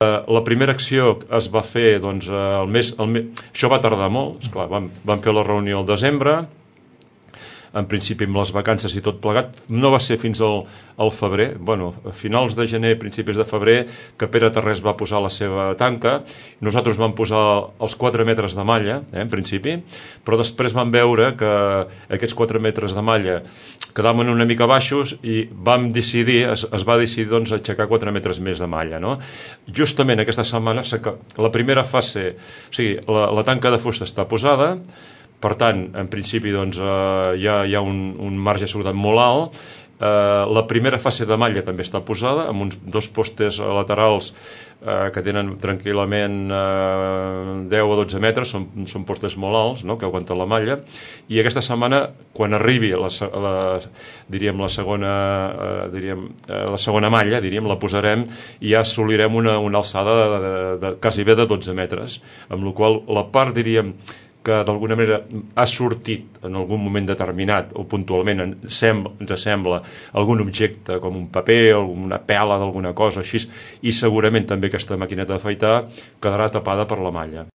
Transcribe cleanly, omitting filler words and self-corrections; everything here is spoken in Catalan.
La primera acció es va fer doncs, això va tardar molt, esclar, vam fer la reunió al desembre, en principi amb les vacances i tot plegat, no va ser fins al febrer, a finals de gener, principis de febrer, que Pere Tarrés va posar la seva tanca. Nosaltres vam posar els 4 metres de malla, en principi, però després vam veure que aquests 4 metres de malla quedaven una mica baixos i es va decidir doncs, aixecar 4 metres més de malla. No? Justament aquesta setmana, la primera fase, o sigui, la tanca de fusta està posada, per tant, en principi doncs, hi ha un marge de seguretat molt alt. La primera fase de malla també està posada, amb uns 2 postes laterals que tenen tranquil·lament 10 o 12 metres, són postes molt alts, no?, que aguanten la malla, i aquesta setmana, quan arribi la segona malla, la posarem i ja assolirem una alçada de quasi bé de 12 metres, amb la qual la part, que d'alguna manera ha sortit en algun moment determinat o puntualment ens sembla algun objecte com un paper o una pela d'alguna cosa així, i segurament també aquesta maquineta d'afaitar quedarà tapada per la malla.